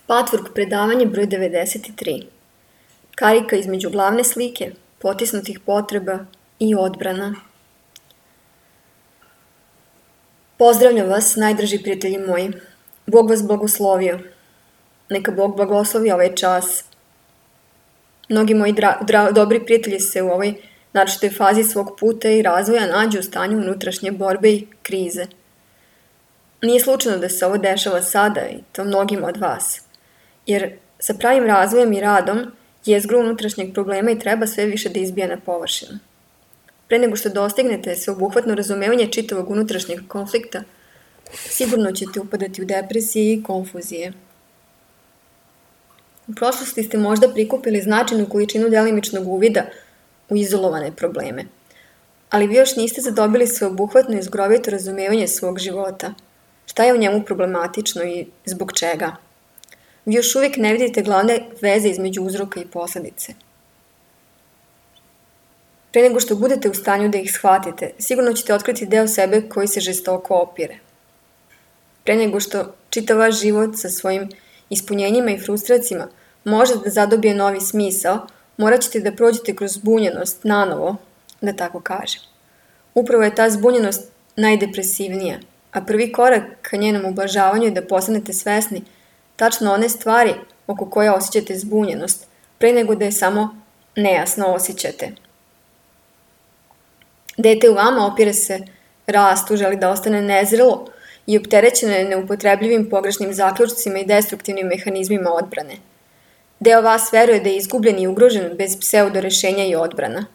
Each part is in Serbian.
Patchwork predavanje broj 93. Karika između glavne slike, potisnutih potreba i odbrana. Pozdravljam vas, najdraži prijatelji moji. Bog vas blagoslovio. Neka Bog blagoslovi ovaj čas. Mnogi moji dobri prijatelji se u ovoj naročitoj fazi svog puta i razvoja nađu u stanju unutrašnje borbe i krize. Nije slučajno da se ovo dešava sada i to mnogima od vas. Jer sa pravim razvojem i radom jezgru unutrašnjeg problema i treba sve više da izbija na površinu. Pre nego što dostignete sveobuhvatno razumevanje čitavog unutrašnjeg konflikta, sigurno ćete upadati u depresije i konfuzije. U prošlosti ste možda prikupili značajnu količinu delimičnog uvida u izolovane probleme, ali vi još niste zadobili sveobuhvatno i zgrovito razumevanje svog života. Šta je u njemu problematično i zbog čega? Vi još uvijek ne vidite glavne veze između uzroka i posledice. Pre nego što budete u stanju da ih shvatite, sigurno ćete otkriti deo sebe koji se žestoko opire. Pre nego što čitav vaš život sa svojim ispunjenjima i frustracijama može da zadobije novi smisao, morat ćete da prođete kroz zbunjenost nanovo, da tako kažem. Upravo je ta zbunjenost najdepresivnija, a prvi korak ka njenom ublažavanju je da postanete svesni tačno one stvari oko koje osjećate zbunjenost, pre nego da je samo nejasno osjećate. Dete u vama opire se rastu, želi da ostane nezrelo i opterećeno je neupotrebljivim pogrešnim zaključcima i destruktivnim mehanizmima odbrane. Deo vas veruje da je izgubljen i ugrožen bez pseudorešenja i odbrana.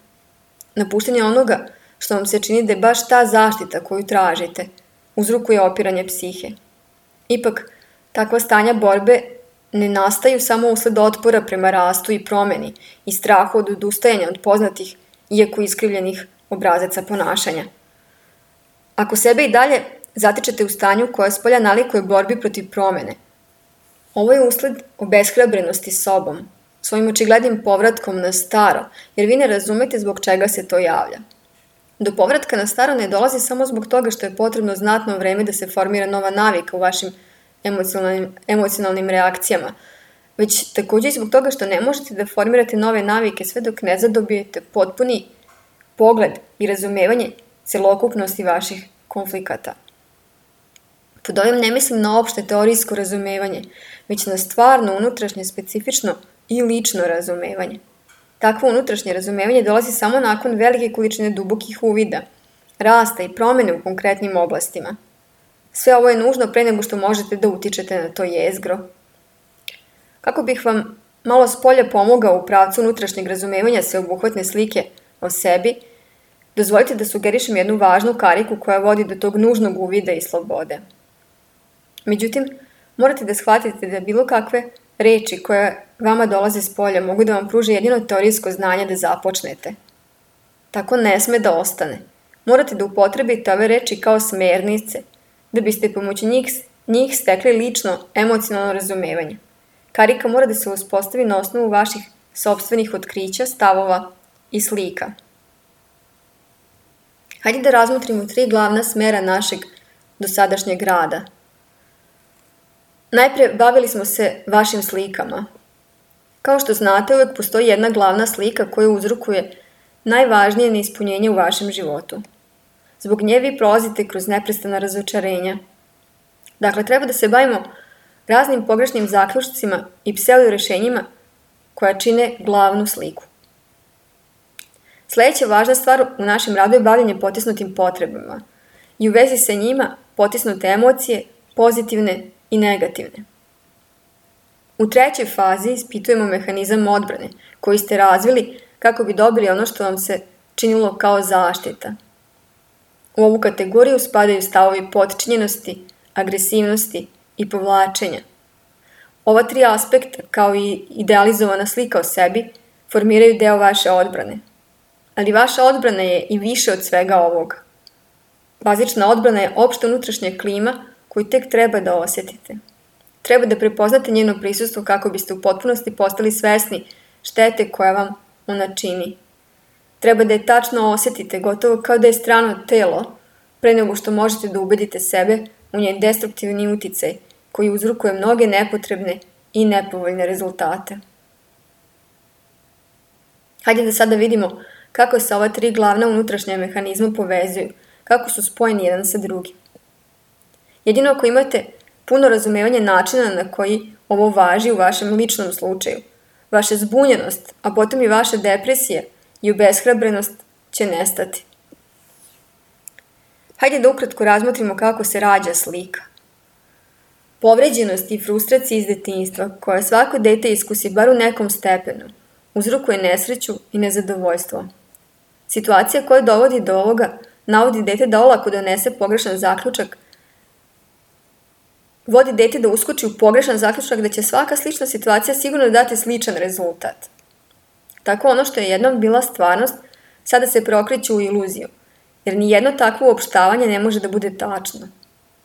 Napuštanje onoga što vam se čini da je baš ta zaštita koju tražite, uzrokuje opiranje psihe. Ipak, takva stanja borbe ne nastaju samo usled otpora prema rastu i promeni i strahu od odustajanja od poznatih, iako iskrivljenih obrazaca ponašanja. Ako sebe i dalje zatičete u stanju koja spolja nalikuje borbi protiv promene, ovo je usled obeshrabrenosti sobom, svojim očiglednim povratkom na staro, jer vi ne razumete zbog čega se to javlja. Do povratka na staro ne dolazi samo zbog toga što je potrebno znatno vreme da se formira nova navika u vašim emocionalnim reakcijama, već takođe i zbog toga što ne možete da formirate nove navike sve dok ne zadobijete potpuni pogled i razumevanje celokupnosti vaših konflikata. Pod ovim ne mislim na opšte teorijsko razumevanje, već na stvarno unutrašnje, specifično i lično razumevanje. Takvo unutrašnje razumevanje dolazi samo nakon velike količine dubokih uvida, rasta i promene u konkretnim oblastima. Sve ovo je nužno pre nego što možete da utičete na to jezgro. Kako bih vam malo spolja pomogao u pravcu unutrašnjeg razumevanja sveobuhvatne slike o sebi, dozvolite da sugerišem jednu važnu kariku koja vodi do tog nužnog uvida i slobode. Međutim, morate da shvatite da bilo kakve reči koje vama dolaze s polja mogu da vam pruže jedino teorijsko znanje da započnete. Tako ne sme da ostane. Morate da upotrebite ove reči kao smernice, da biste pomoću njih stekli lično emocionalno razumevanje. Karika mora da se uspostavi na osnovu vaših sopstvenih otkrića, stavova i slika. Hajde da razmotrimo 3 glavna smera našeg dosadašnjeg rada. Najpre bavili smo se vašim slikama. Kao što znate, uvek postoji jedna glavna slika koja uzrokuje najvažnije neispunjenje u vašem životu. Zbog nje vi prolazite kroz neprestana razočarenja. Dakle, treba da se bavimo raznim pogrešnim zaključcima i pseudorešenjima koja čine glavnu sliku. Sledeća važna stvar u našem radu je bavljanje potisnutim potrebama i u vezi sa njima potisnute emocije, pozitivne i negativne. U trećoj fazi ispitujemo mehanizam odbrane koji ste razvili kako bi dobili ono što vam se činilo kao zaštita. U ovu kategoriju spadaju stavovi potčinjenosti, agresivnosti i povlačenja. Ova 3 aspekta, kao i idealizovana slika o sebi, formiraju deo vaše odbrane. Ali vaša odbrana je i više od svega ovoga. Bazična odbrana je opšta unutrašnja klima koju tek treba da osjetite. Treba da prepoznate njeno prisustvo kako biste u potpunosti postali svesni štete koja vam ona čini. Treba da je tačno osjetite, gotovo kao da je strano telo, pre nego što možete da ubedite sebe u njen destruktivni uticaj koji uzrokuje mnoge nepotrebne i nepovoljne rezultate. Hajde da sada vidimo kako se ova 3 glavna unutrašnja mehanizma povezuju, kako su spojeni jedan sa drugim. Jedino ako imate puno razumevanje načina na koji ovo važi u vašem ličnom slučaju, vaša zbunjenost, a potom i vaša depresija i obeshrabrenost će nestati. Hajde da ukratko razmotrimo kako se rađa slika. Povređenost i frustracija iz detinjstva, koja svako dete iskusi bar u nekom stepenu, uzrokuje nesreću i nezadovoljstvo. Situacija koja dovodi do ovoga navodi dete da olako donese pogrešan zaključak, vodi dete da uskoči u pogrešan zaključak da će svaka slična situacija sigurno dati sličan rezultat. Tako ono što je jednom bila stvarnost, sada se preokreće u iluziju, jer nijedno takvo uopštavanje ne može da bude tačno.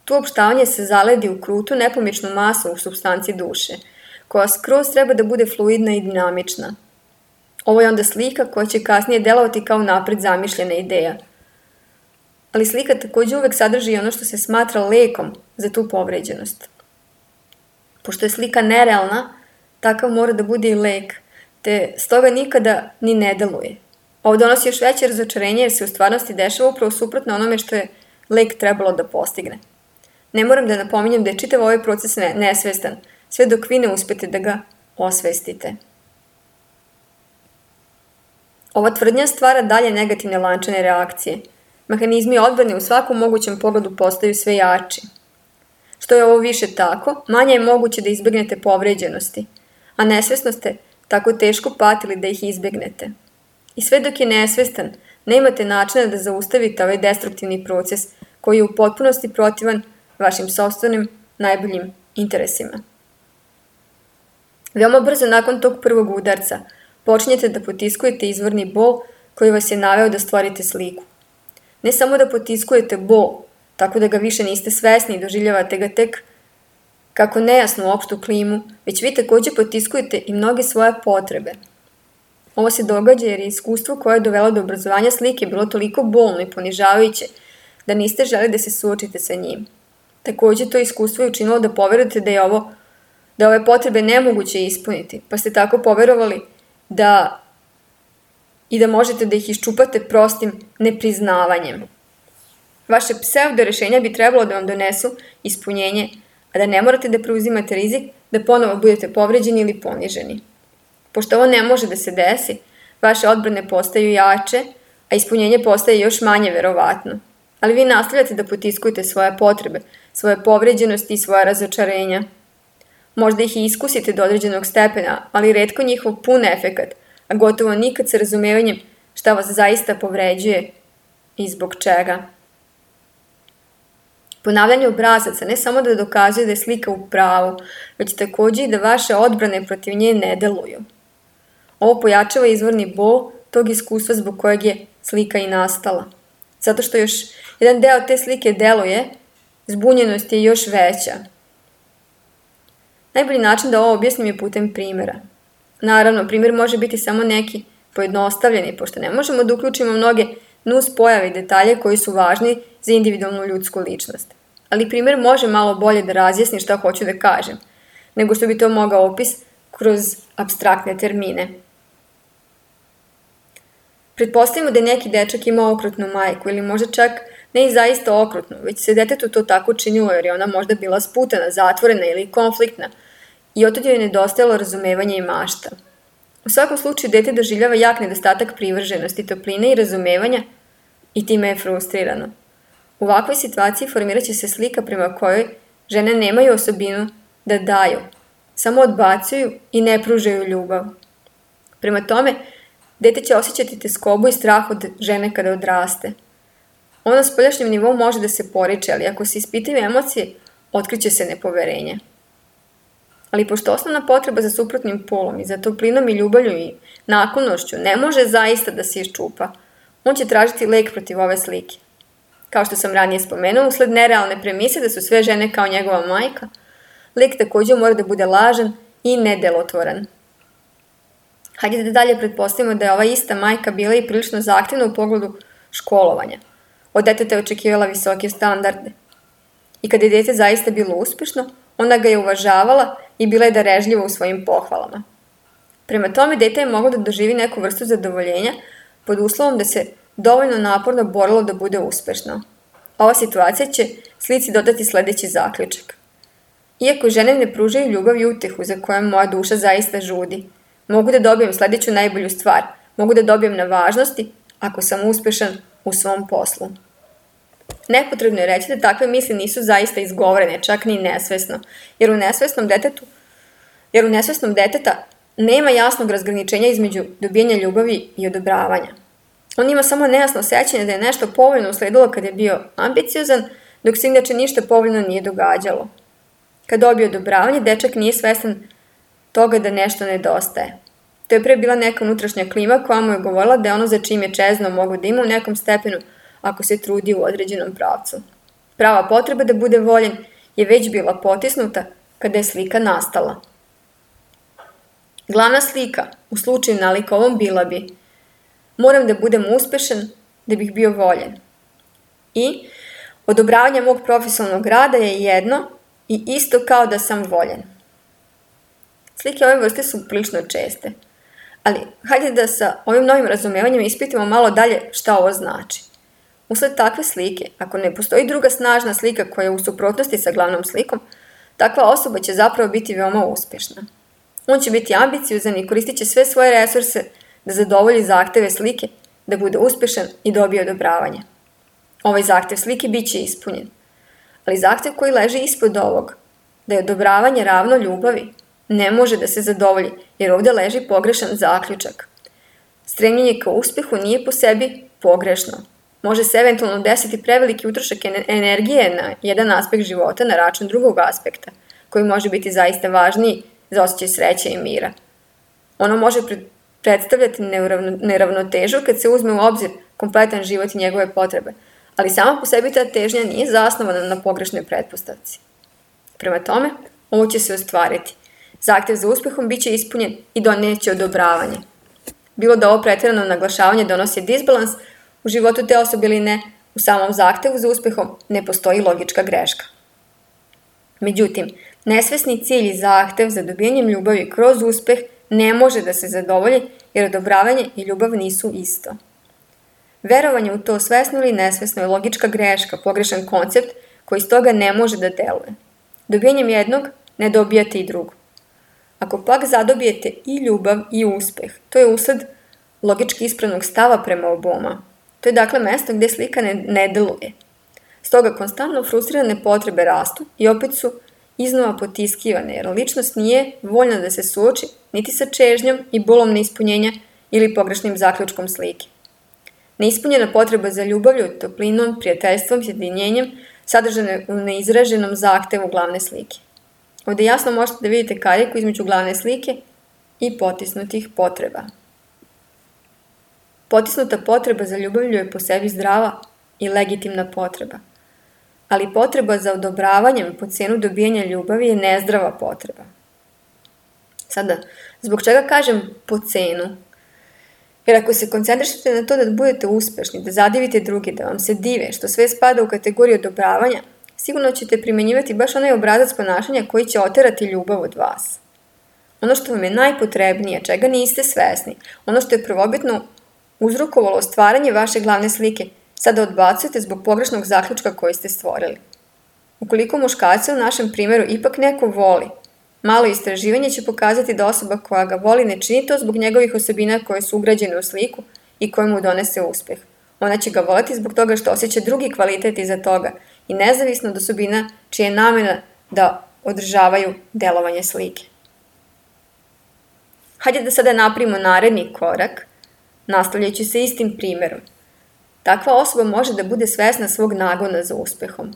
To uopštavanje se zaledi u krutu, nepomičnu masu u supstanci duše, koja skroz treba da bude fluidna i dinamična. Ovo je onda slika koja će kasnije delovati kao napred zamišljena ideja. Ali slika takođe uvek sadrži ono što se smatra lekom za tu povređenost. Pošto je slika nerealna, takav mora da bude i lek, te stoga nikada ni ne deluje. Ovo donosi još veće razočarenje jer se u stvarnosti dešava upravo suprotno onome što je lek trebalo da postigne. Ne moram da napominjem da je čitav ovaj proces nesvestan, sve dok vi ne uspete da ga osvestite. Ova tvrdnja stvara dalje negativne lančane reakcije. Mehanizmi odbrane u svakom mogućem pogledu postaju sve jači. Što je ovo više tako, manje je moguće da izbegnete povređenosti, a nesvesno ste tako teško patili da ih izbegnete. I sve dok je nesvestan, nemate načina da zaustavite ovaj destruktivni proces koji je u potpunosti protivan vašim sopstvenim najboljim interesima. Veoma brzo nakon tog prvog udarca počinjete da potiskujete izvorni bol koji vas je naveo da stvorite sliku. Ne samo da potiskujete bol, tako da ga više niste svesni i doživljavate ga tek kako nejasnu opštu klimu, već vi takođe potiskujete i mnoge svoje potrebe. Ovo se događa jer je iskustvo koje je dovelo do obrazovanja slike bilo toliko bolno i ponižavajuće da niste želi da se suočite sa njim. Takođe to iskustvo je učinilo da poverujete da ove potrebe nemoguće ispuniti, pa ste tako poverovali da možete da ih iščupate prostim nepriznavanjem. Vaše pseudo rešenja bi trebalo da vam donesu ispunjenje, a da ne morate da preuzimate rizik da ponovo budete povređeni ili poniženi. Pošto ovo ne može da se desi, vaše odbrane postaju jače, a ispunjenje postaje još manje verovatno. Ali vi nastavljate da potiskujete svoje potrebe, svoje povređenosti i svoje razočarenja. Možda ih i iskusite do određenog stepena, ali retko njihov pun efekat, a gotovo nikad sa razumevanjem šta vas zaista povređuje i zbog čega. Ponavljanje obrazaca ne samo da dokazuje da je slika u pravu, već takođe i da vaše odbrane protiv nje ne deluju. Ovo pojačava izvorni bol tog iskustva zbog kojeg je slika i nastala. Zato što još jedan deo te slike deluje, zbunjenost je još veća. Najbolji način da ovo objasnim je putem primjera. Naravno, primjer može biti samo neki pojednostavljeni, pošto ne možemo da uključimo mnoge nus pojave i detalje koji su važni za individualnu ljudsku ličnost. Ali primjer može malo bolje da razjasni šta hoću da kažem, nego što bi to mogao opis kroz apstraktne termine. Pretpostavimo da je neki dečak imao okrutnu majku ili možda čak ne i zaista okrutnu, već se detetu to tako činilo jer je ona možda bila sputana, zatvorena ili konfliktna i otad joj je nedostajalo razumevanja i mašta. U svakom slučaju dete doživljava jak nedostatak privrženosti, topline i razumevanja i time je frustrirano. U ovakvoj situaciji formirat će se slika prema kojoj žene nemaju osobinu da daju, samo odbacuju i ne pružaju ljubav. Prema tome, dete će osjećati teskobu i strah od žene kada odraste. Ono na spoljašnjem nivou može da se poriče, ali ako se ispitaju emocije, otkriće se nepoverenje. Ali pošto osnovna potreba za suprotnim polom i za toplinom i ljubavlju i naklonošću ne može zaista da se iščupa, on će tražiti lek protiv ove slike. Kao što sam ranije spomenuo, usled nerealne premise da su sve žene kao njegova majka, lek takođe mora da bude lažan i nedelotvoran. Hajde da dalje pretpostavimo da je ova ista majka bila i prilično zahtevna u pogledu školovanja. Od deteta je očekivala visoke standarde. I kada je dete zaista bilo uspešno, ona ga je uvažavala i bila je darežljiva u svojim pohvalama. Prema tome, dete je moglo da doživi neku vrstu zadovoljenja pod uslovom da se dovoljno naporno borilo da bude uspešno. Ova situacija će slici dodati sledeći zaključak. Iako žene ne pružaju ljubav i utehu za kojom moja duša zaista žudi, mogu da dobijem sledeću najbolju stvar, mogu da dobijem na važnosti ako sam uspešan u svom poslu. Nepotrebno je reći da takve misli nisu zaista izgovorene, čak ni nesvesno, jer u nesvesnom deteta nema jasnog razgraničenja između dobijanja ljubavi i odobravanja. On ima samo nejasno sećanje da je nešto povoljno usledilo kad je bio ambiciozan, dok se inače ništa povoljno nije događalo. Kad dobije odobravanje, dečak nije svestan toga da nešto nedostaje. To je pre bila neka unutrašnja klima koja mu je govorila da je ono za čim je čezno mogo da ima u nekom stepenu ako se trudi u određenom pravcu. Prava potreba da bude voljen je već bila potisnuta kada je slika nastala. Glavna slika u slučaju nalik ovom bila bi: moram da budem uspešan da bih bio voljen. I odobravanje mog profesionalnog rada je jedno i isto kao da sam voljen. Slike ove vrste su prilično česte, ali hajde da sa ovim novim razumevanjem ispitamo malo dalje šta ovo znači. Usled takve slike, ako ne postoji druga snažna slika koja je u suprotnosti sa glavnom slikom, takva osoba će zapravo biti veoma uspešna. On će biti ambiciozan i koristit će sve svoje resurse da zadovolji zahteve slike, da bude uspešan i dobije odobravanje. Ovaj zahtev slike bit će ispunjen. Ali zahtev koji leži ispod ovog, da je odobravanje ravno ljubavi, ne može da se zadovolji, jer ovde leži pogrešan zaključak. Stremljenje ka uspehu nije po sebi pogrešno. Može se eventualno desiti preveliki utrošak energije na jedan aspekt života na račun drugog aspekta, koji može biti zaista važniji za osjećaj sreće i mira. Ono može predstavljati neravnotežu kad se uzme u obzir kompletan život i njegove potrebe, ali sama po sebi ta težnja nije zasnovana na pogrešnoj pretpostavci. Prema tome, ovo će se ostvariti. Zahtev za uspehom bit će ispunjen i doneće odobravanje. Bilo da ovo pretjerano naglašavanje donosi disbalans u životu te osobe ili ne, u samom zahtevu za uspehom ne postoji logička greška. Međutim, nesvesni cilj i zahtev za dobijanjem ljubavi kroz uspeh ne može da se zadovolji jer odobravanje i ljubav nisu isto. Verovanje u to svesno ili nesvesno je logička greška, pogrešan koncept koji iz toga ne može da deluje. Dobijanjem jednog ne dobijate i drugo. Ako pak zadobijete i ljubav i uspeh, to je usled logički ispravnog stava prema oboma. To je dakle mesto gde slika ne deluje. Stoga konstantno frustrirane potrebe rastu i opet su iznova potiskivane, jer ličnost nije voljna da se suoči niti sa čežnjom i bolom neispunjenja ili pogrešnim zaključkom slike. Neispunjena potreba za ljubavlju, toplinom, prijateljstvom, sjedinjenjem sadržane u neizraženom zahtevu glavne slike. Ovde jasno možete da vidite kariku između glavne slike i potisnutih potreba. Potisnuta potreba za ljubavlju je po sebi zdrava i legitimna potreba, ali potreba za odobravanjem po cenu dobijanja ljubavi je nezdrava potreba. Sada, zbog čega kažem po cenu? Jer ako se koncentrišete na to da budete uspešni, da zadivite druge, da vam se dive, što sve spada u kategoriju odobravanja, sigurno ćete primenjivati baš onaj obrazac ponašanja koji će oterati ljubav od vas. Ono što vam je najpotrebnije, čega niste svesni, ono što je prvobitno uzrokovalo stvaranje vaše glavne slike, sada odbacujete zbog pogrešnog zaključka koji ste stvorili. Ukoliko muškarca u našem primjeru ipak neko voli, malo istraživanje će pokazati da osoba koja ga voli ne čini to zbog njegovih osobina koje su ugrađene u sliku i koje mu donese uspeh. Ona će ga voleti zbog toga što osjeća drugi kvalitet iza toga i nezavisno od osobina čija je namena da održavaju delovanje slike. Hajde da sada napravimo naredni korak, nastavljajući se istim primjerom. Takva osoba može da bude svesna svog nagona za uspehom.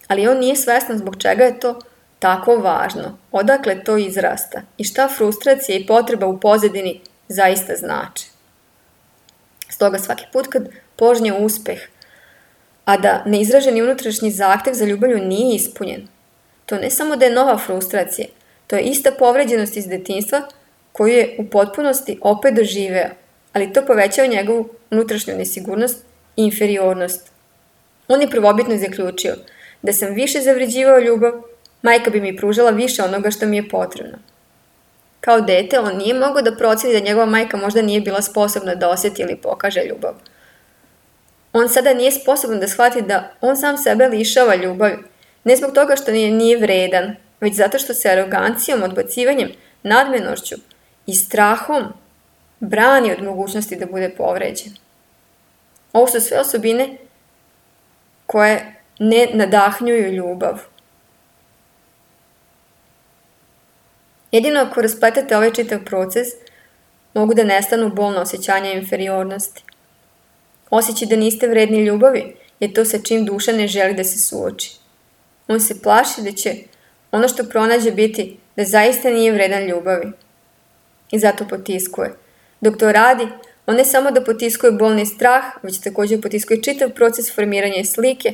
Ali on nije svestan zbog čega je to tako važno, odakle to izrasta i šta frustracija i potreba u pozadini zaista znači. Stoga svaki put kad požnje uspeh, a da neizraženi unutrašnji zahtev za ljubavlju nije ispunjen, to ne samo da je nova frustracija, to je ista povređenost iz detinjstva koju je u potpunosti opet doživeo, ali to povećava njegovu unutrašnju nesigurnost i inferiornost. On je prvobitno zaključio da sam više zavređivao ljubav Majka bi mi pružala više onoga što mi je potrebno. Kao dete, on nije mogao da proceni da njegova majka možda nije bila sposobna da osjeti ili pokaže ljubav. On sada nije sposoban da shvati da on sam sebe lišava ljubavi, ne zbog toga što nije vredan, već zato što se arogancijom, odbacivanjem, nadmenošću i strahom brani od mogućnosti da bude povređen. Ovo su sve osobine koje ne nadahnjuju ljubav. Jedino ako raspletete ovaj čitav proces, mogu da nestanu bolna osjećanja inferiornosti. Osjećaj da niste vredni ljubavi je to sa čim duša ne želi da se suoči. On se plaši da će ono što pronađe biti da zaista nije vredan ljubavi. I zato potiskuje. Dok to radi, on ne samo da potiskuje bolni strah, već također potiskuje čitav proces formiranja slike,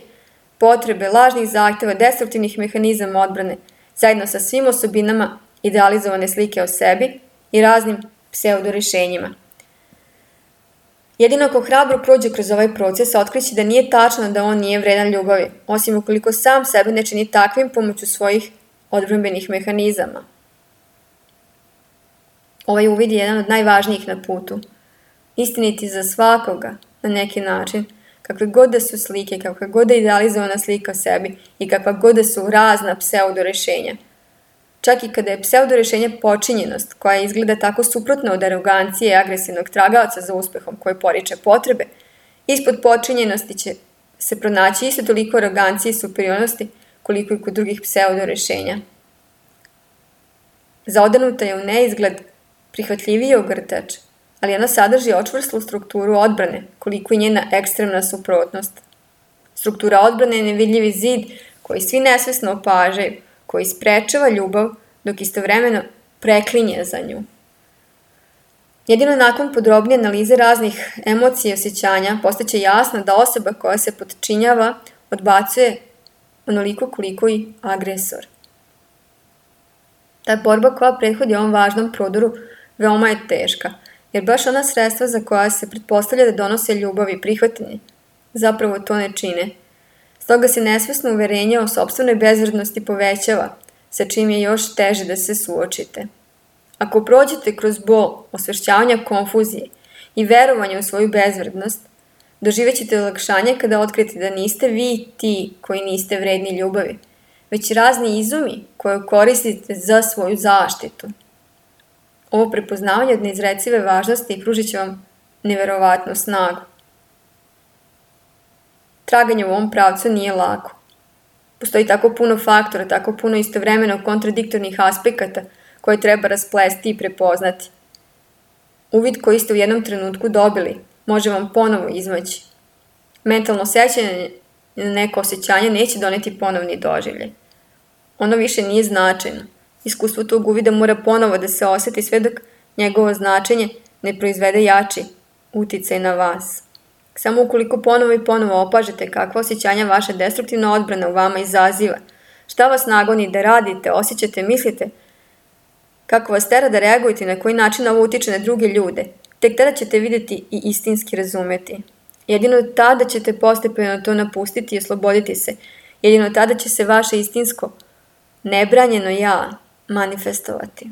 potrebe, lažnih zahtjeva, destruktivnih mehanizama odbrane, zajedno sa svim osobinama idealizovane slike o sebi i raznim pseudorešenjima. Jedino ako hrabro prođe kroz ovaj proces, otkriće da nije tačno da on nije vredan ljubavi, osim ukoliko sam sebe ne čini takvim pomoću svojih odbrambenih mehanizama. Ovaj uvid je jedan od najvažnijih na putu. Istiniti za svakoga na neki način, kakve god da su slike, kakva god da je idealizovana slika o sebi i kakva god da su razna pseudorešenja. Čak i kada je pseudorešenje počinjenost, koja izgleda tako suprotno od arogancije i agresivnog tragaoca za uspehom koji poriče potrebe, ispod počinjenosti će se pronaći isto toliko arogancije i superiornosti koliko i kod drugih pseudorešenja. Zaodanuta je u neizgled prihvatljiviji ogrtač, ali ona sadrži očvrslu strukturu odbrane, koliko i njena ekstremna suprotnost. Struktura odbrane je nevidljivi zid koji svi nesvesno opažaju, koji sprečava ljubav dok istovremeno preklinje za nju. Jedino nakon podrobnije analize raznih emocija i osjećanja postaće jasno da osoba koja se potčinjava odbacuje onoliko koliko i agresor. Ta borba koja prethodi ovom važnom prodoru veoma je teška, jer baš ona sredstva za koja se pretpostavlja da donose ljubav i prihvatanje zapravo to ne čine. Stoga se nesvesno uverenje o sopstvenoj bezvrednosti povećava, sa čim je još teže da se suočite. Ako prođete kroz bol, osvešćavanja konfuzije i verovanja u svoju bezvrednost, doživećete olakšanje kada otkrijete da niste vi ti koji niste vredni ljubavi, već razni izumi koje koristite za svoju zaštitu. Ovo prepoznavanje od neizrecive važnosti pružit će vam neverovatnu snagu. Traganje u ovom pravcu nije lako. Postoji tako puno faktora, tako puno istovremeno kontradiktornih aspekata koje treba rasplesti i prepoznati. Uvid koji ste u jednom trenutku dobili može vam ponovo izmaći. Mentalno sećanje na neko osjećanje neće doneti ponovni doživljaj. Ono više nije značajno. Iskustvo tog uvida mora ponovo da se osjeti sve dok njegovo značenje ne proizvede jači uticaj na vas. Samo ukoliko ponovo i ponovo opažete kakva osjećanja vaša destruktivna odbrana u vama izaziva, šta vas nagoni da radite, osjećate, mislite, kako vas tera da reagujete i na koji način ovo utiče na druge ljude, tek tada ćete vidjeti i istinski razumeti. Jedino tada ćete postepeno to napustiti i osloboditi se. Jedino tada će se vaše istinsko, nebranjeno ja manifestovati.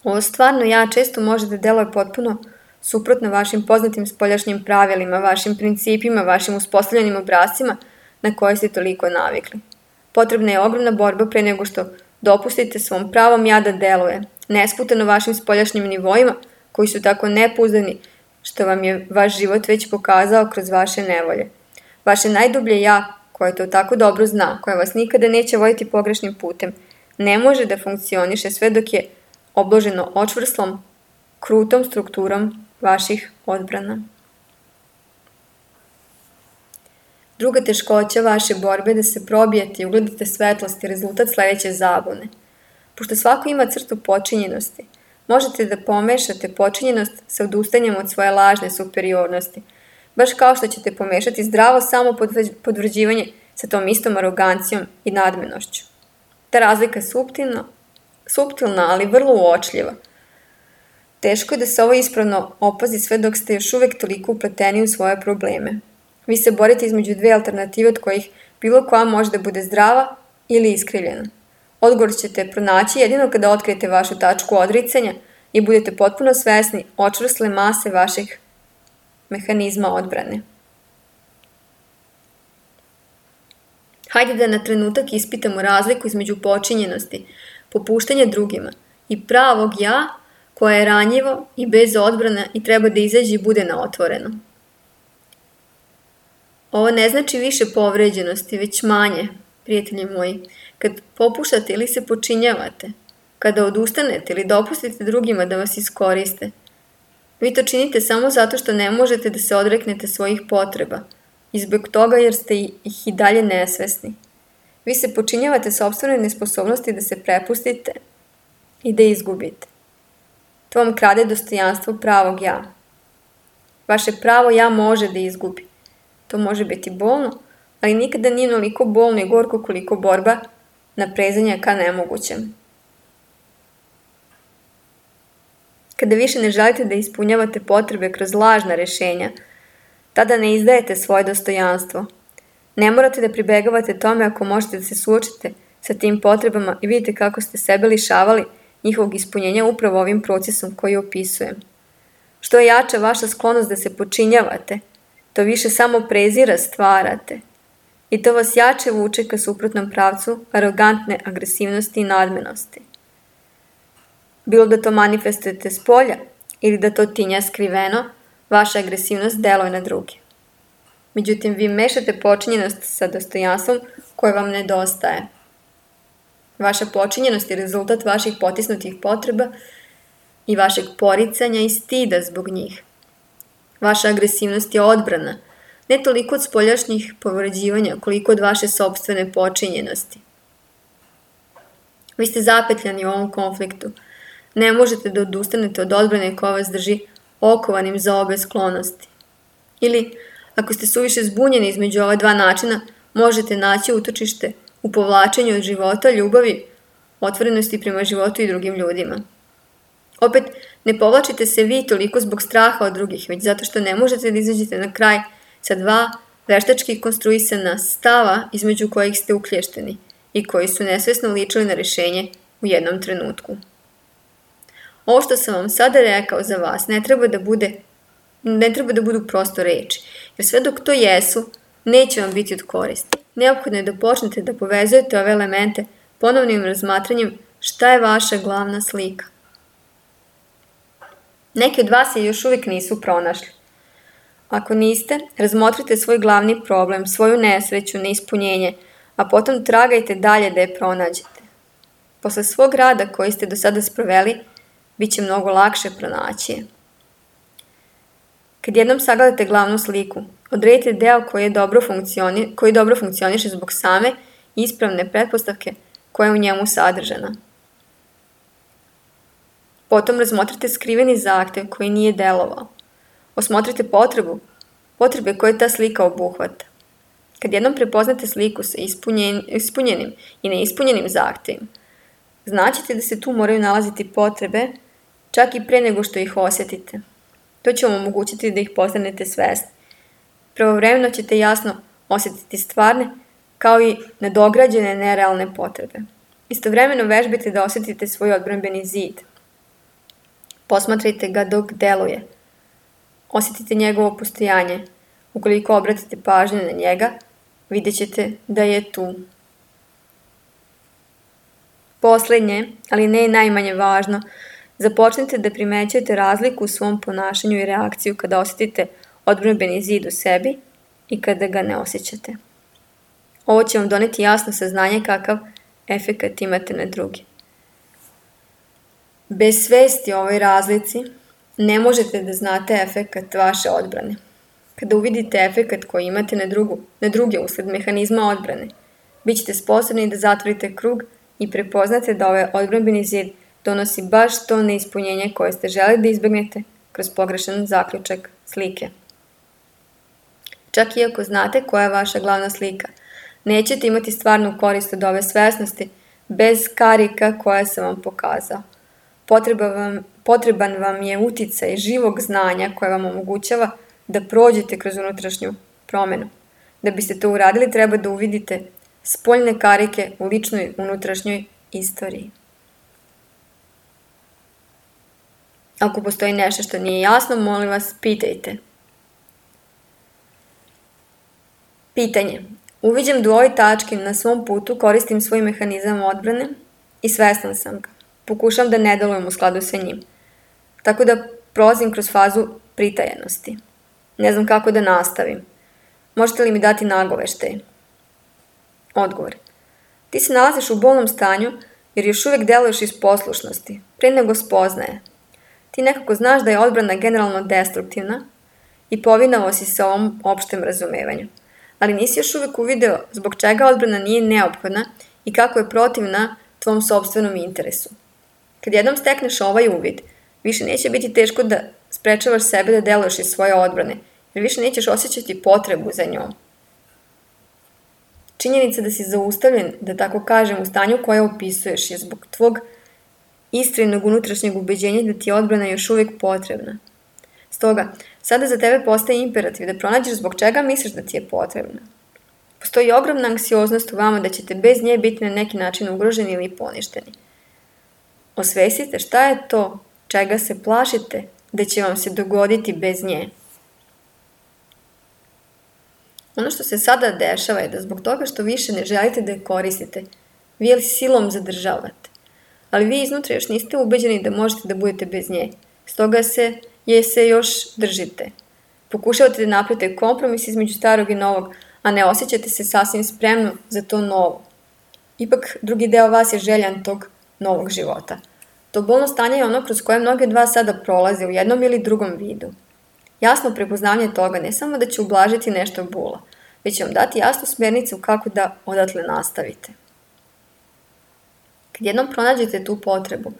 Ovo stvarno ja često može da deluje potpuno suprotno vašim poznatim spoljašnjim pravilima, vašim principima, vašim uspostavljenim obrascima na koje ste toliko navikli. Potrebna je ogromna borba pre nego što dopustite svom pravom ja da deluje, nesputano vašim spoljašnjim nivoima koji su tako nepouzdani što vam je vaš život već pokazao kroz vaše nevolje. Vaše najdublje ja, koje to tako dobro zna, koje vas nikada neće voditi pogrešnim putem, ne može da funkcioniše sve dok je obloženo očvrslom, krutom strukturom vaših odbrana. Druga teškoća vaše borbe je da se probijete i ugledate svetlost i rezultat sledeće zabune. Pošto svako ima crtu počinjenosti, možete da pomešate počinjenost sa odustanjem od svoje lažne superiornosti, baš kao što ćete pomešati zdravo samo potvrđivanje sa tom istom arogancijom i nadmenošću. Ta razlika je suptilna, ali vrlo uočljiva. Teško je da se ovo ispravno opazi sve dok ste još uvek toliko upleteni u svoje probleme. Vi se borite između dve alternative od kojih bilo koja može da bude zdrava ili iskrivljeno? Odgovor ćete pronaći jedino kada otkrijete vašu tačku odricanja i budete potpuno svesni očvrsle mase vaših mehanizma odbrane. Hajde da na trenutak ispitamo razliku između počinjenosti, popuštanja drugima i pravog ja koje je ranjivo i bez odbrana i treba da izađe i bude na otvoreno. Ovo ne znači više povređenosti, već manje, prijatelji moji. Kad popuštate ili se počinjavate, kada odustanete ili dopustite drugima da vas iskoriste, vi to činite samo zato što ne možete da se odreknete svojih potreba i zbog toga jer ste ih i dalje nesvesni. Vi se počinjavate sopstvenoj nesposobnosti da se prepustite i da izgubite. To vam krade dostojanstvo pravog ja. Vaše pravo ja može da izgubi. To može biti bolno, ali nikada nije onoliko bolno i gorko koliko borba na prezanja ka nemogućem. Kada više ne želite da ispunjavate potrebe kroz lažna rešenja, tada ne izdajete svoje dostojanstvo. Ne morate da pribegavate tome ako možete da se suočite sa tim potrebama i vidite kako ste sebe lišavali njihovog ispunjenja upravo ovim procesom koji opisujem. Što je jača vaša sklonost da se počinjavate, to više samo prezira stvarate. I to vas jače vuče ka suprotnom pravcu arogantne agresivnosti i nadmenosti. Bilo da to manifestujete s polja ili da to tinja skriveno, vaša agresivnost deluje na druge. Međutim, vi mešate počinjenost sa dostojanstvom koje vam nedostaje. Vaša počinjenost je rezultat vaših potisnutih potreba i vašeg poricanja i stida zbog njih. Vaša agresivnost je odbrana, ne toliko od spoljašnjih povređivanja, koliko od vaše sopstvene počinjenosti. Vi ste zapetljani u ovom konfliktu. Ne možete da odustanete od odbrane koja vas drži okovanim za obe sklonosti. Ili, ako ste suviše zbunjeni između ova dva načina, možete naći utočište u povlačenju od života, ljubavi, otvorenosti prema životu i drugim ljudima. Opet, ne povlačite se vi toliko zbog straha od drugih, već zato što ne možete da izađete na kraj sa dva veštački konstruisana stava između kojih ste uklješteni i koji su nesvesno ličili na rešenje u jednom trenutku. Ovo što sam vam sada rekao za vas ne treba da budu prosto reči, jer sve dok to jesu, neće vam biti od koristi. Neophodno je da počnete da povezujete ove elemente ponovnim razmatranjem šta je vaša glavna slika. Neki od vas je još uvijek nisu pronašli. Ako niste, razmotrite svoj glavni problem, svoju nesreću, neispunjenje, a potom tragajte dalje da je pronađete. Posle svog rada koji ste do sada sproveli, bit će mnogo lakše pronaći je. Kad jednom sagledate glavnu sliku, odredite deo koji dobro funkcioniše zbog same ispravne pretpostavke koja je u njemu sadržana. Potom razmotrite skriveni zahtev koji nije delovao. Osmotrite potrebe koje ta slika obuhvata. Kad jednom prepoznate sliku sa ispunjenim i neispunjenim zahtevima, znaćete da se tu moraju nalaziti potrebe čak i pre nego što ih osjetite. To će vam omogućiti da ih postanete svesni. Pravovremeno ćete jasno osjetiti stvarne kao i nadograđene nerealne potrebe. Istovremeno vežbite da osjetite svoj odbrambeni zid. Posmatrajte ga dok deluje. Osjetite njegovo postojanje. Ukoliko obratite pažnju na njega, vidjet ćete da je tu. Poslednje, ali ne i najmanje važno, započnite da primećujete razliku u svom ponašanju i reakciju kada osjetite odbrambeni zid u sebi i kada ga ne osjećate. Ovo će vam doneti jasno saznanje kakav efekat imate na drugi. Bez svesti o ovoj razlici ne možete da znate efekat vaše odbrane. Kada uvidite efekat koji imate na druge usled mehanizma odbrane, bit ćete sposobni da zatvorite krug i prepoznate da ovaj odbrambeni zid donosi baš to neispunjenje koje ste želeli da izbegnete kroz pogrešan zaključak slike. Čak i ako znate koja je vaša glavna slika, nećete imati stvarnu korist od ove svesnosti bez karika koje sam vam pokazao. Potreban vam je uticaj živog znanja koje vam omogućava da prođete kroz unutrašnju promenu. Da biste to uradili, treba da uvidite spoljne karike u ličnoj unutrašnjoj istoriji. Ako postoji nešto što nije jasno, molim vas, pitajte. Pitanje. Uviđam da u ovoj tački na svom putu koristim svoj mehanizam odbrane i svestan sam ga. Pokušam da ne delujem u skladu sa njim. Tako da prolazim kroz fazu pritajenosti. Ne znam kako da nastavim. Možete li mi dati nagoveštaj? Odgovor. Ti se nalaziš u bolnom stanju jer još uvijek deluješ iz poslušnosti, pre nego spoznaje. Ti nekako znaš da je odbrana generalno destruktivna i povinao si se ovom opštem razumevanju. Ali nisi još uvijek uvideo zbog čega odbrana nije neophodna i kako je protivna tvom sopstvenom interesu. Kad jednom stekneš ovaj uvid, više neće biti teško da sprečavaš sebe da deluješ iz svoje odbrane, jer više nećeš osjećati potrebu za njom. Činjenica da si zaustavljen, da tako kažem, u stanju koje opisuješ je zbog tvog iskrenog unutrašnjeg ubeđenja da ti je odbrana još uvijek potrebna. Stoga, sada za tebe postaje imperativ da pronađeš zbog čega misliš da ti je potrebna. Postoji ogromna anksioznost u vama da ćete bez nje biti na neki način ugroženi ili poništeni. Osvestite šta je to čega se plašite da će vam se dogoditi bez nje. Ono što se sada dešava je da zbog toga što više ne želite da je koristite, vi je silom zadržavate. Ali vi iznutra još niste ubeđeni da možete da budete bez nje. Stoga se još držite. Pokušavate da napravite kompromis između starog i novog, a ne osjećate se sasvim spremno za to novo. Ipak drugi deo vas je željan tog novog života. To bolno stanje je ono kroz koje mnogi od vas sada prolaze u jednom ili drugom vidu. Jasno prepoznavanje toga ne samo da će ublažiti nešto bola, već će vam dati jasnu smernicu kako da odatle nastavite. Kad jednom pronađete tu potrebu,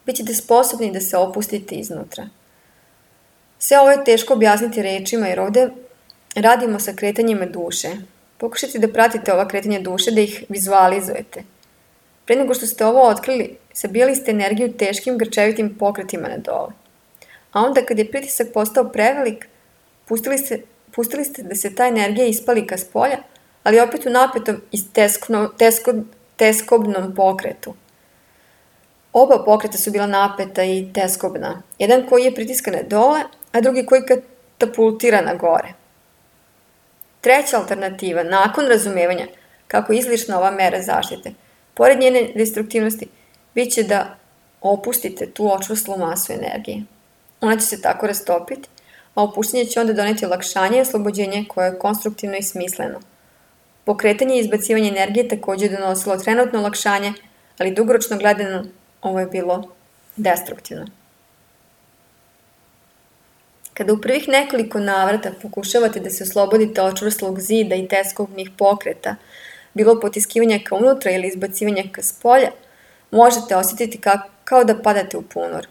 bit ćete sposobni da se opustite iznutra. Sve ovo je teško objasniti rečima jer ovde radimo sa kretanjima duše. Pokušajte da pratite ova kretanja duše, da ih vizualizujete. Pre nego što ste ovo otkrili, sabijali ste energiju teškim grčevitim pokretima na dole. A onda kad je pritisak postao prevelik, pustili ste da se ta energija ispali ka spolja, ali opet u napetom i teskobnom pokretu. Oba pokreta su bila napeta i teskobna. Jedan koji je pritiska na dole, a drugi koji katapultira na gore. Treća alternativa, nakon razumevanja kako je izlišna ova mera zaštite, pored njene destruktivnosti, bit će da opustite tu očvrslu masu energije. Ona će se tako rastopiti, a opuštanje će onda doneti olakšanje i oslobođenje koje je konstruktivno i smisleno. Pokretanje i izbacivanje energije također je donosilo trenutno olakšanje, ali dugoročno gledano ovo je bilo destruktivno. Kada u prvih nekoliko navrata pokušavate da se oslobodite očvrslog zida i teskobnih pokreta, bilo potiskivanja ka unutra ili izbacivanja ka spolja, možete osjetiti kao da padate u ponor.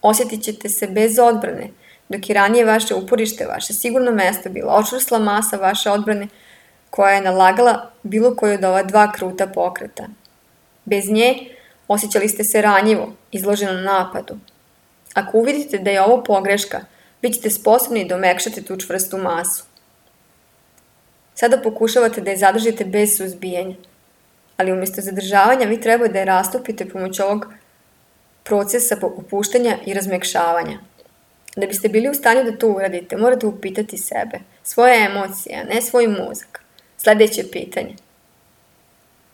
Osjetit ćete se bez odbrane, dok je ranije vaše uporište, vaše sigurno mesto bila očvrsla masa vaše odbrane koja je nalagala bilo koju od ova dva kruta pokreta. Bez nje osjećali ste se ranjivo, izloženo napadu. Ako uvidite da je ovo pogreška, bit ćete sposobni da omekšate tu čvrstu masu. Sada pokušavate da je zadržite bez suzbijanja, ali umjesto zadržavanja vi treba da je rastopite pomoću ovog procesa opuštanja i razmekšavanja. Da biste bili u stanju da to uradite, morate upitati sebe, svoje emocije, a ne svoj mozak. Sljedeće pitanje.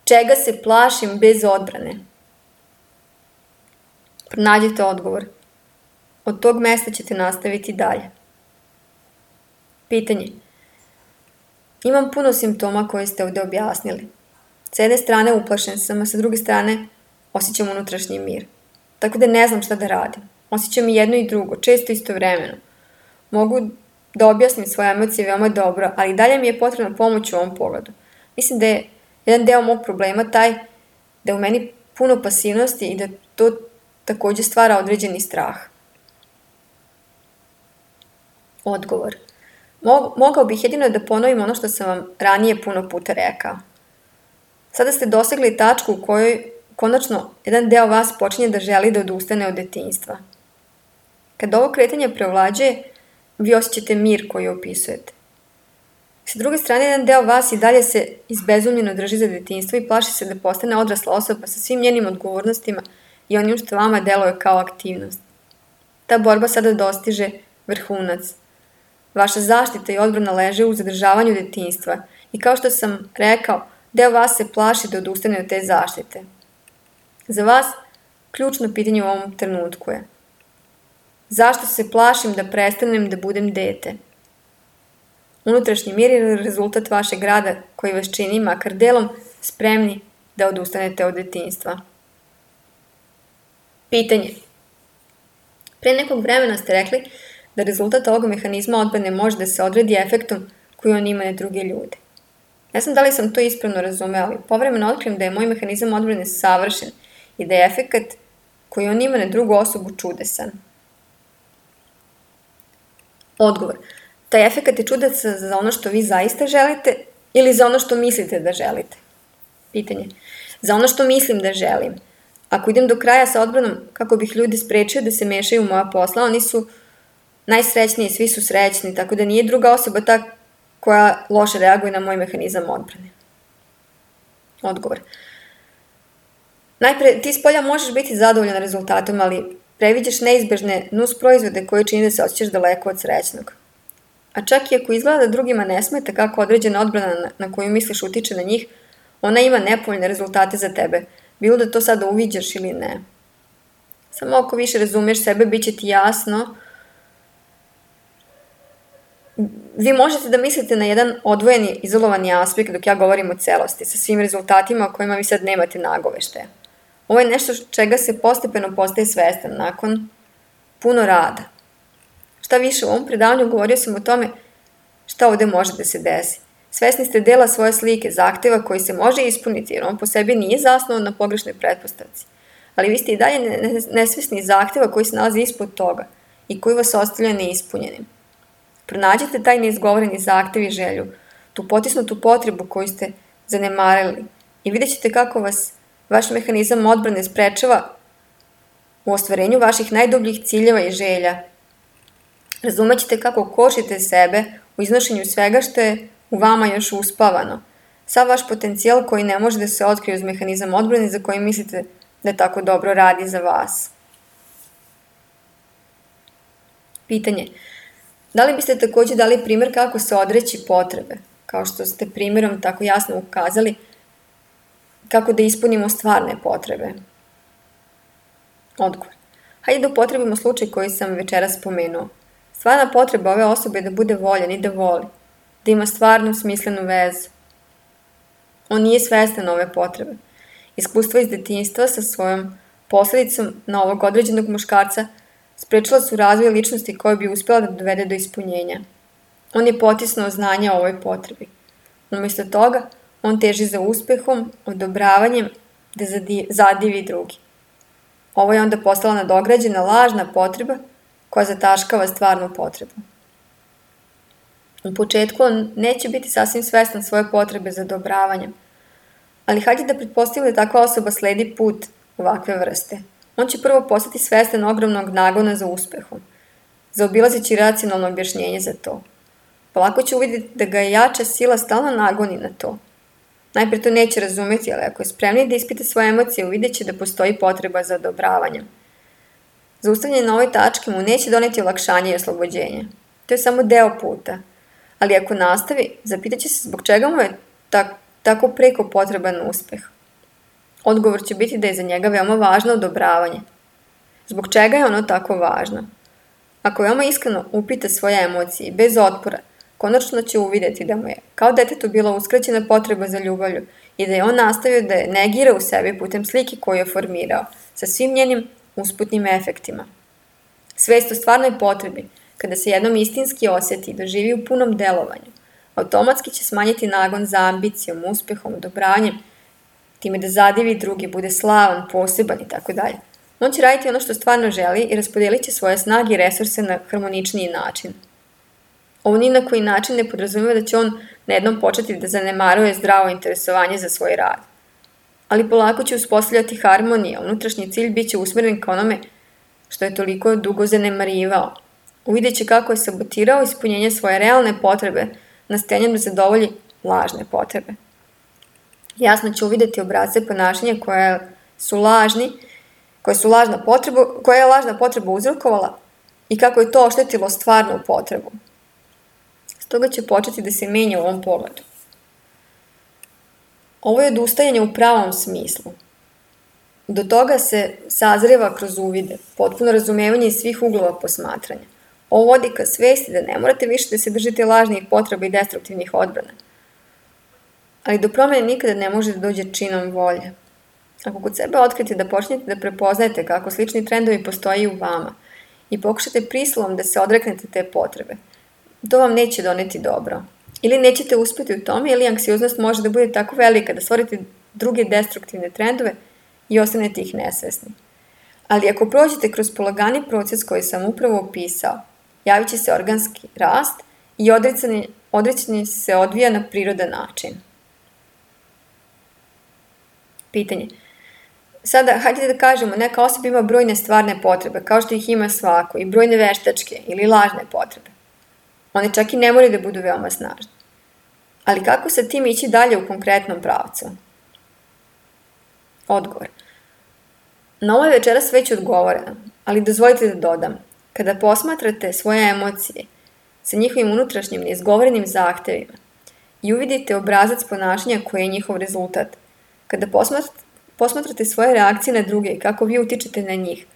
Čega se plašim bez odbrane? Pronađite odgovor. Od tog mesta ćete nastaviti dalje. Pitanje. Imam puno simptoma koje ste ovdje objasnili. S jedne strane uplašen sam, a sa druge strane osjećam unutrašnji mir. Tako da ne znam šta da radim. Osjećam i jedno i drugo, često istovremeno. Mogu da objasnim svoje emocije veoma dobro, ali dalje mi je potrebna pomoć u ovom pogledu. Mislim da je jedan deo mog problema taj da je u meni puno pasivnosti i da to također stvara određeni strah. Odgovor. Mogao bih jedino da ponovim ono što sam vam ranije puno puta rekao. Sada ste dosegli tačku u kojoj konačno jedan deo vas počinje da želi da odustane od detinjstva. Kad ovo kretanje preovlađuje, vi osjećate mir koji opisujete. Sa druge strane, jedan deo vas i dalje se izbezumljeno drži za detinjstvo i plaši se da postane odrasla osoba sa svim njenim odgovornostima i onim što vama deluje kao aktivnost. Ta borba sada dostiže vrhunac. Vaša zaštita i odbrana leže u zadržavanju detinjstva i kao što sam rekao, deo vas se plaši da odustane od te zaštite. Za vas ključno pitanje u ovom trenutku je: zašto se plašim da prestanem da budem dete? Unutrašnji mir je rezultat vašeg rada koji vas čini, makar delom, spremni da odustanete od detinjstva. Pitanje. Pre nekog vremena ste rekli da rezultat ovog mehanizma odbrane može da se odredi efektom koji on ima na druge ljude. Ne znam da li sam to ispravno razumela, ali povremeno otkrijem da je moj mehanizam odbrane savršen i da je efekat koji on ima na drugu osobu čudesan. Odgovor. Taj efekat je čudesan za ono što vi zaista želite ili za ono što mislite da želite? Pitanje. Za ono što mislim da želim. Ako idem do kraja sa odbranom kako bih ljudi sprečio da se mešaju u moja posla, oni su najsrećniji, svi su srećni, tako da nije druga osoba ta koja loše reaguje na moj mehanizam odbrane. Odgovor. Najpre, ti s polja možeš biti zadovoljan rezultatom, ali previđaš neizbežne nus proizvode koje čini da se osjećaš daleko od srećnog. A čak i ako izgleda da drugima ne smeta kako određena odbrana na koju misliš utiče na njih, ona ima nepovoljne rezultate za tebe, bilo da to sada uviđaš ili ne. Samo ako više razumeš sebe, bit će ti jasno. Vi možete da mislite na jedan odvojeni, izolovani aspekt dok ja govorim o celosti, sa svim rezultatima o kojima vi sad nemate nagoveštaja. Ovo je nešto čega se postepeno postaje svestan nakon puno rada. Šta više, u ovom predavanju govorio sam o tome šta ovde može da se desi. Svesni ste dela svoje slike, zahteva koji se može ispuniti, jer on po sebi nije zasnovan na pogrešnoj pretpostavci. Ali vi ste i dalje nesvesni zahteva koji se nalazi ispod toga i koji vas ostavlja neispunjenim. Pronađite taj neizgovoreni zahtev i želju, tu potisnutu potrebu koju ste zanemarili i vidjet ćete kako vas vaš mehanizam odbrane sprečava u ostvarenju vaših najdubljih ciljeva i želja. Razumećete kako kočite sebe u iznošenju svega što je u vama još uspavano. Sav vaš potencijal koji ne može da se otkrije uz mehanizam odbrane za koji mislite da tako dobro radi za vas. Pitanje. Da li biste takođe dali primer kako se odreći potrebe, kao što ste primjerom tako jasno ukazali, kako da ispunimo stvarne potrebe? Odgovor. Hajde da upotrebimo slučaj koji sam večeras spomenuo. Stvarna potreba ove osobe je da bude voljan i da voli, da ima stvarnu smislenu vezu. On nije svestan ove potrebe. Iskustva iz detinjstva sa svojom posledicom na ovog određenog muškarca sprečila su razvoj ličnosti koja bi uspjela da dovede do ispunjenja. On je potisnuo znanje o ovoj potrebi. Umjesto toga, on teži za uspehom, odobravanjem, da zadivi drugi. Ovo je onda postala nadograđena lažna potreba koja zataškava stvarnu potrebu. U početku on neće biti sasvim svestan svoje potrebe za odobravanjem, ali hajde da pretpostavimo da takva osoba sledi put ovakve vrste. On će prvo postati svestan ogromnog nagona za uspehom, zaobilazeći racionalno objašnjenje za to. Polako će uvidjeti da ga je jača sila stalno nagoni na to. Najpre to neće razumeti, ali ako je spremni da ispita svoje emocije, uvidjet će da postoji potreba za odobravanjem. Zaustavljanje na ovoj tački mu neće doneti olakšanje i oslobođenje. To je samo deo puta. Ali ako nastavi, zapitaće se zbog čega mu je tako preko potreban uspeh. Odgovor će biti da je za njega veoma važno odobravanje. Zbog čega je ono tako važno? Ako veoma iskreno upita svoje emocije bez otpora, konačno će uvidjeti da mu je kao detetu bila uskraćena potreba za ljubavlju i da je on nastavio da je negira u sebi putem slike koju je formirao, sa svim njenim usputnim efektima. Svest o stvarnoj potrebi, kada se jednom istinski osjeti i doživi u punom delovanju, automatski će smanjiti nagon za ambicijom, uspehom, odobranjem, time da zadivi drugi, bude slavan, poseban i tako dalje. On će raditi ono što stvarno želi i raspodelit će svoje snage i resurse na harmoničniji način. Ovo ni na koji način ne podrazumeva da će on na jednom početi da zanemaruje zdravo interesovanje za svoj rad. Ali polako će uspostavljati harmoniju, a unutrašnji cilj bit će usmeren ka onome što je toliko dugo zanemarivao. Uvidjet će kako je sabotirao ispunjenje svoje realne potrebe nastojanjem da zadovolji lažne potrebe. Jasno će uvideti obrasce ponašanja koja je lažna potreba uzrokovala i kako je to oštetilo stvarnu potrebu. Stoga će početi da se menja u ovom pogledu. Ovo je odustajanje u pravom smislu. Do toga se sazreva kroz uvide, potpuno razumevanje iz svih uglova posmatranja. Ovo vodi ka svesti da ne morate više da se držite lažnih potreba i destruktivnih odbrana. Ali do promene nikada ne može da dođe činom volje. Ako kod sebe otkrite da počnete da prepoznajete kako slični trendovi postoji u vama i pokušate prisilom da se odreknete te potrebe, to vam neće doneti dobro. Ili nećete uspeti u tome, ili anksioznost može da bude tako velika da stvorite druge destruktivne trendove i ostanete ih nesvesni. Ali ako prođete kroz polagani proces koji sam upravo opisao, javit će se organski rast i odricanje se odvija na prirodan način. Pitanje. Sada, hajde da kažemo, neka osoba ima brojne stvarne potrebe, kao što ih ima svako, i brojne veštačke ili lažne potrebe. One čak i ne moraju da budu veoma snažne. Ali kako sa tim ići dalje u konkretnom pravcu? Odgovor. Na ovo je večeras već odgovoreno, ali dozvolite da dodam. Kada posmatrate svoje emocije sa njihovim unutrašnjim neizgovorenim zahtevima i uvidite obrazac ponašanja koji je njihov rezultat, kada posmatrate svoje reakcije na druge i kako vi utičete na njih,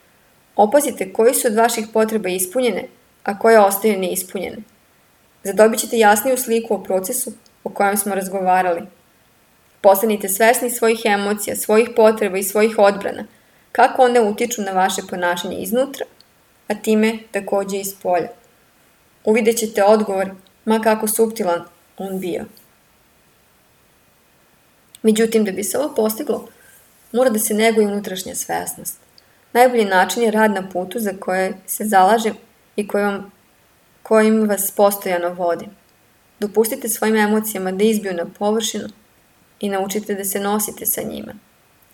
opazite koji su od vaših potreba ispunjene, a koje ostaju neispunjene. Zadobit ćete jasniju sliku o procesu o kojem smo razgovarali. Postanite svesni svojih emocija, svojih potreba i svojih odbrana, kako one utiču na vaše ponašanje iznutra, a time takođe iz polja. Uvidjet ćete odgovor, ma kako suptilan on bio. Međutim, da bi se ovo postiglo, mora da se neguje unutrašnja svesnost. Najbolji način je rad na putu za koje se zalažem i kojim vas postojano vodi. Dopustite svojim emocijama da izbiju na površinu i naučite da se nosite sa njima.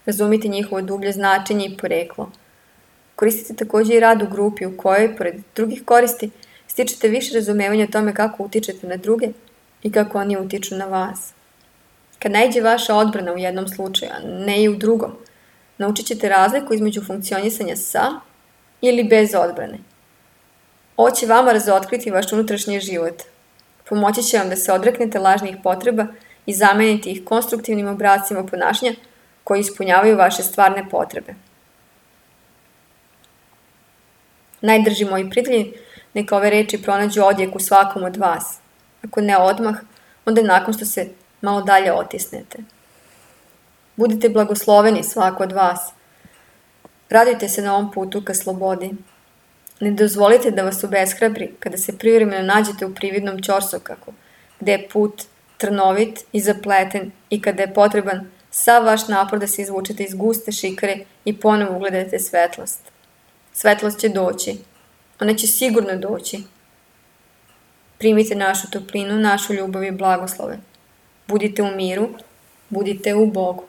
Razumite njihovo dublje značenje i poreklo. Koristite takođe i rad u grupi u kojoj, pored drugih koristi, stičete više razumevanja o tome kako utičete na druge i kako oni utiču na vas. Kad najde vaša odbrana u jednom slučaju, a ne i u drugom, naučit ćete razliku između funkcionisanja sa ili bez odbrane. Ovo će vama razotkriti vaš unutrašnji život. Pomoći će vam da se odreknete lažnih potreba i zamenite ih konstruktivnim obrascima ponašanja koji ispunjavaju vaše stvarne potrebe. Najdrži moji prijatelji, neka ove reči pronađu odjek u svakom od vas. Ako ne odmah, onda nakon što se malo dalje otisnete. Budite blagosloveni svako od vas. Radujte se na ovom putu ka slobodi. Ne dozvolite da vas obeshrabri kada se privremeno nađete u prividnom ćorsokaku, gde je put trnovit i zapleten i kada je potreban sav vaš napor da se izvučete iz guste šikare i ponovo ugledate svetlost. Svetlost će doći. Ona će sigurno doći. Primite našu toplinu, našu ljubav i blagoslove. Budite u miru, budite u Bogu.